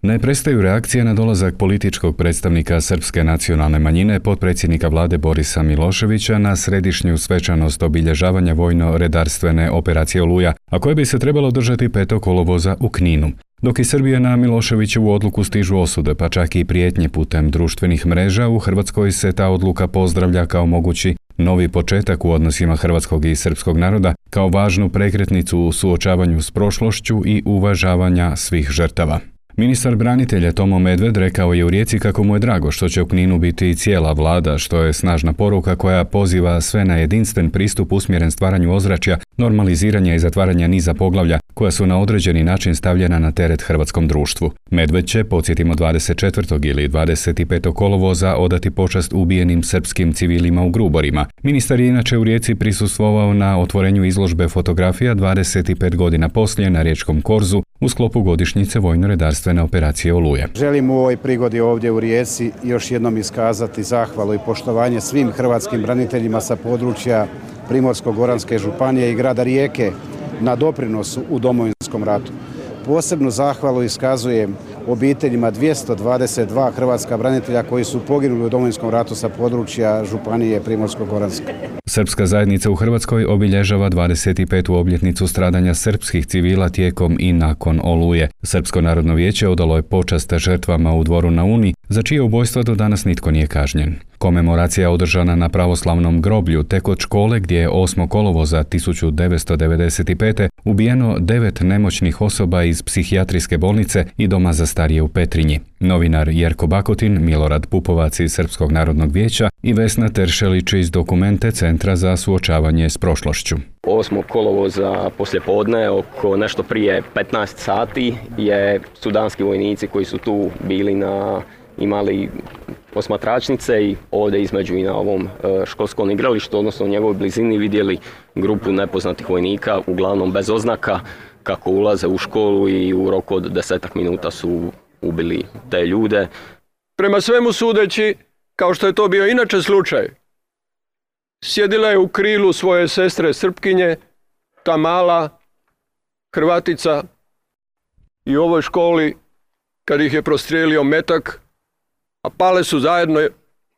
Ne prestaju reakcije na dolazak političkog predstavnika srpske nacionalne manjine, potpredsjednika vlade Borisa Miloševića, na središnju svečanost obilježavanja vojno-redarstvene operacije Oluja, a koje bi se trebalo održati 5. kolovoza u Kninu. Dok i Srbija na Miloševićevu odluku stižu osude, pa čak i prijetnje putem društvenih mreža, u Hrvatskoj se ta odluka pozdravlja kao mogući novi početak u odnosima hrvatskog i srpskog naroda, kao važnu prekretnicu u suočavanju s prošlošću i uvažavanja svih žrtava. Ministar branitelja Tomo Medved rekao je u Rijeci kako mu je drago što će u Kninu biti i cijela vlada, što je snažna poruka koja poziva sve na jedinstven pristup usmjeren stvaranju ozračja, normaliziranja i zatvaranja niza poglavlja koja su na određeni način stavljena na teret hrvatskom društvu. Medved će, podsjetimo, 24. ili 25. kolovoza odati počast ubijenim srpskim civilima u Gruborima. Ministar je inače u Rijeci prisustvovao na otvorenju izložbe fotografija 25 godina poslije na riječkom Korzu u sklopu godišnjice vojno-redarstvene operacije Oluja. Želim u ovoj prigodi ovdje u Rijeci još jednom iskazati zahvalu i poštovanje svim hrvatskim braniteljima sa područja Primorsko-goranske županije i grada Rijeke na doprinosu u Domovinskom ratu. Posebnu zahvalu iskazujem obiteljima 222 hrvatska branitelja koji su poginuli u Domovinskom ratu sa područja županije Primorsko-goranske. Srpska zajednica u Hrvatskoj obilježava 25. obljetnicu stradanja srpskih civila tijekom i nakon Oluje. Srpsko narodno vijeće odalo je počast žrtvama u Dvoru na Uni, za čije ubojstva do danas nitko nije kažnjen. Komemoracija je održana na pravoslavnom groblju tek od škole gdje je 8. kolovoza 1995. ubijeno 9 nemoćnih osoba iz psihijatrijske bolnice i doma za starije u Petrinji. Novinar Jerko Bakotin, Milorad Pupovac iz Srpskog narodnog vijeća i Vesna Teršelić iz Dokumente Centra za suočavanje s prošlošću. 8. kolovoza poslijepodne, oko nešto prije 15 sati, su danski vojnici koji su tu bili imali posmatračnice i ovdje između i na ovom školskom igralištu, odnosno u njegovoj blizini, vidjeli grupu nepoznatih vojnika, uglavnom bez oznaka, kako ulaze u školu i u roku od 10 minuta su ubili te ljude. Prema svemu sudeći, kao što je to bio inače slučaj, sjedila je u krilu svoje sestre Srpkinje, ta mala Hrvatica, i u ovoj školi, kad ih je prostrijelio metak, a pale su zajedno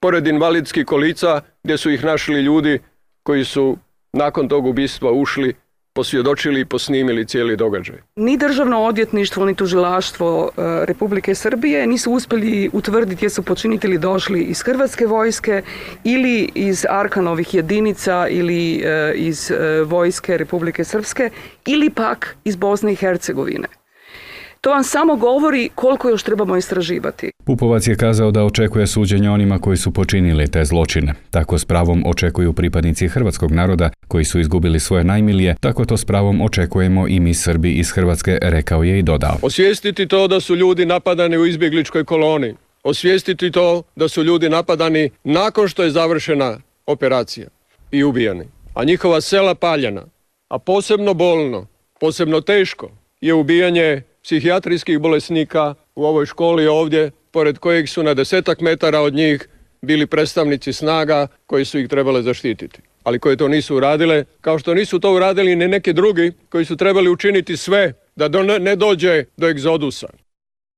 pored invalidskih kolica gdje su ih našli ljudi koji su nakon tog ubistva ušli, posvjedočili i posnimili cijeli događaj. Ni Državno odvjetništvo, ni tužilaštvo Republike Srbije nisu uspjeli utvrditi jesu počinitelji došli iz Hrvatske vojske ili iz Arkanovih jedinica ili iz vojske Republike Srpske ili pak iz Bosne i Hercegovine. To vam samo govori koliko još trebamo istraživati. Pupovac je kazao da očekuje suđenje onima koji su počinili te zločine. Tako s pravom očekuju pripadnici hrvatskog naroda koji su izgubili svoje najmilije, tako to s pravom očekujemo i mi Srbi iz Hrvatske, rekao je i dodao. Osvijestiti to da su ljudi napadani u izbjegličkoj koloni. Osvijestiti to da su ljudi napadani nakon što je završena operacija i ubijani, a njihova sela paljena. A posebno bolno, posebno teško je ubijanje psihijatrijskih bolesnika u ovoj školi ovdje, pored kojeg su na 10 metara od njih bili predstavnici snaga koji su ih trebale zaštititi, ali koje to nisu uradile, kao što nisu to uradili ni neki drugi koji su trebali učiniti sve da ne dođe do egzodusa.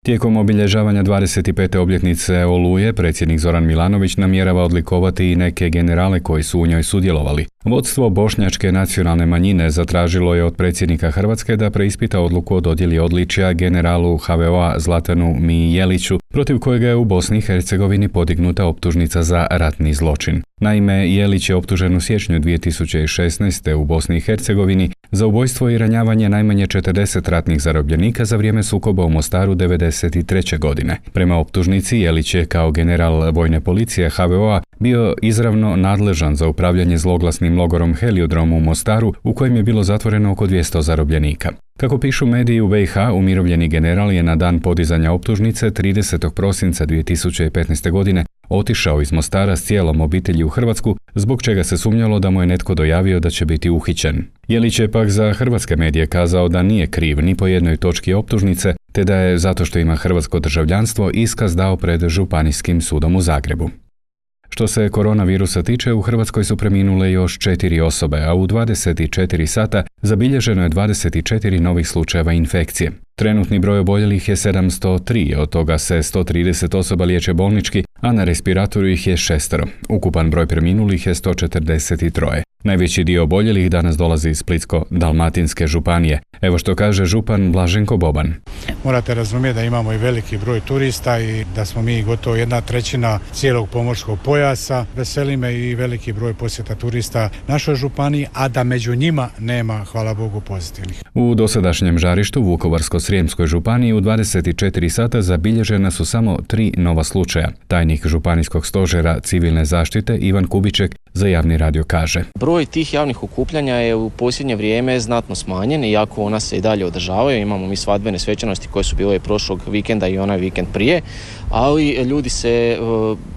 Tijekom obilježavanja 25. obljetnice Oluje, predsjednik Zoran Milanović namjerava odlikovati i neke generale koji su u njoj sudjelovali. Vodstvo bošnjačke nacionalne manjine zatražilo je od predsjednika Hrvatske da preispita odluku o dodjeli odličja generalu HVO-a Zlatanu Mijeliću, protiv kojega je u Bosni i Hercegovini podignuta optužnica za ratni zločin. Naime, Jelić je optužen u siječnju 2016. u Bosni i Hercegovini za ubojstvo i ranjavanje najmanje 40 ratnih zarobljenika za vrijeme sukoba u Mostaru 1993. godine. Prema optužnici, Jelić je kao general vojne policije HVO-a bio izravno nadležan za upravljanje zloglasnim logorom Heliodrom u Mostaru, u kojem je bilo zatvoreno oko 200 zarobljenika. Kako pišu mediji u BiH, umirovljeni general je na dan podizanja optužnice 30. prosinca 2015. godine otišao iz Mostara s cijelom obitelji u Hrvatsku, zbog čega se sumnjalo da mu je netko dojavio da će biti uhićen. Jelić je pak za hrvatske medije kazao da nije kriv ni po jednoj točki optužnice, te da je, zato što ima hrvatsko državljanstvo, iskaz dao pred Županijskim sudom u Zagrebu. Što se koronavirusa tiče, u Hrvatskoj su preminule još 4 osobe, a u 24 sata Zabilježeno je 24 novih slučajeva infekcije. Trenutni broj oboljelih je 703, od toga se 130 osoba liječe bolnički, a na respiratoru ih je 6. Ukupan broj preminulih je 143. Najveći dio oboljelih danas dolazi iz Splitsko-dalmatinske županije. Evo što kaže župan Blaženko Boban. Morate razumjeti da imamo i veliki broj turista i da smo mi gotovo 1/3 cijelog pomorskog pojasa. Veseli me i veliki broj posjeta turista našoj županiji, a da među njima nema, hvala Bogu, pozitivnih. U dosadašnjem žarištu u Vukovarsko-srijemskoj županiji u 24 sata zabilježena su samo 3 nova slučaja. Tajnik županijskog stožera civilne zaštite Ivan Kubiček za Javni radio kaže. Broj tih javnih okupljanja je u posljednje vrijeme znatno smanjen, iako ona se i dalje održavaju. Imamo mi svadbene svečanosti koje su bile prošlog vikenda i onaj vikend prije, ali ljudi se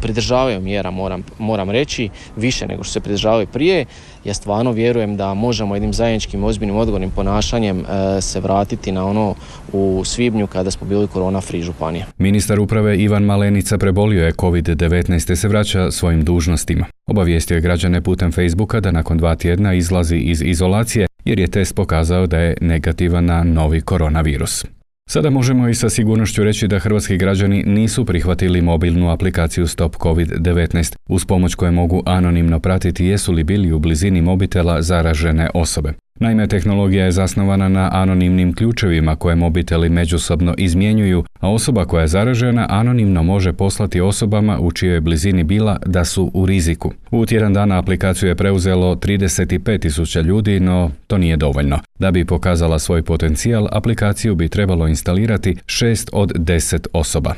pridržavaju mjera, moram reći, više nego što se pridržavaju prije. Ja stvarno vjerujem da možemo jednim zajedničkim ozbiljnim odgovornim ponašanjem se vratiti na ono u svibnju kada smo bili korona free županija. Ministar uprave Ivan Malenica prebolio je COVID-19 te se vraća svojim dužnostima. Obavijestio je građane putem Facebooka da nakon 2 tjedna izlazi iz izolacije jer je test pokazao da je negativan na novi koronavirus. Sada možemo i sa sigurnošću reći da hrvatski građani nisu prihvatili mobilnu aplikaciju Stop COVID-19 uz pomoć koje mogu anonimno pratiti jesu li bili u blizini mobitela zaražene osobe. Naime, tehnologija je zasnovana na anonimnim ključevima koje mobiteli međusobno izmjenjuju, a osoba koja je zaražena anonimno može poslati osobama u čijoj blizini bila da su u riziku. U tjedan dana aplikaciju je preuzelo 35.000 ljudi, no to nije dovoljno. Da bi pokazala svoj potencijal, aplikaciju bi trebalo instalirati 6 od 10 osoba.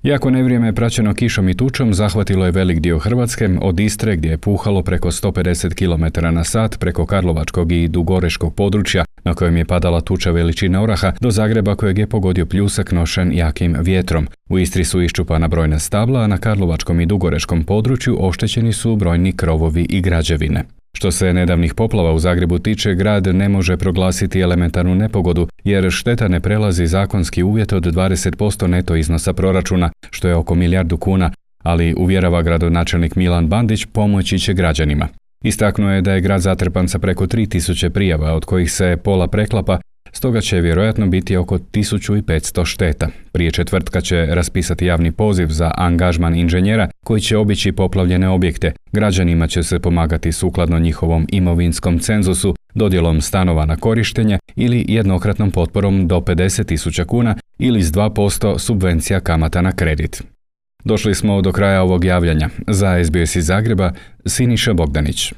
Jako nevrijeme praćeno kišom i tučom zahvatilo je velik dio Hrvatske, od Istre gdje je puhalo preko 150 km/h preko karlovačkog i dugoreškog područja na kojem je padala tuča veličine oraha do Zagreba kojeg je pogodio pljusak nošen jakim vjetrom. U Istri su iščupana brojna stabla, a na karlovačkom i dugoreškom području oštećeni su brojni krovovi i građevine. Što se nedavnih poplava u Zagrebu tiče, grad ne može proglasiti elementarnu nepogodu jer šteta ne prelazi zakonski uvjet od 20% neto iznosa proračuna, što je oko milijardu kuna, ali uvjerava gradonačelnik Milan Bandić pomoći će građanima. Istaknuo je da je grad zatrpan sa preko 3000 prijava, od kojih se pola preklapa, stoga će vjerojatno biti oko 1500 šteta. Prije četvrtka će raspisati javni poziv za angažman inženjera koji će obići poplavljene objekte. Građanima će se pomagati sukladno njihovom imovinskom cenzusu, dodjelom stanova na korištenje ili jednokratnom potporom do 50.000 kuna ili s 2% subvencija kamata na kredit. Došli smo do kraja ovog javljanja. Za SBS iz Zagreba, Siniša Bogdanić.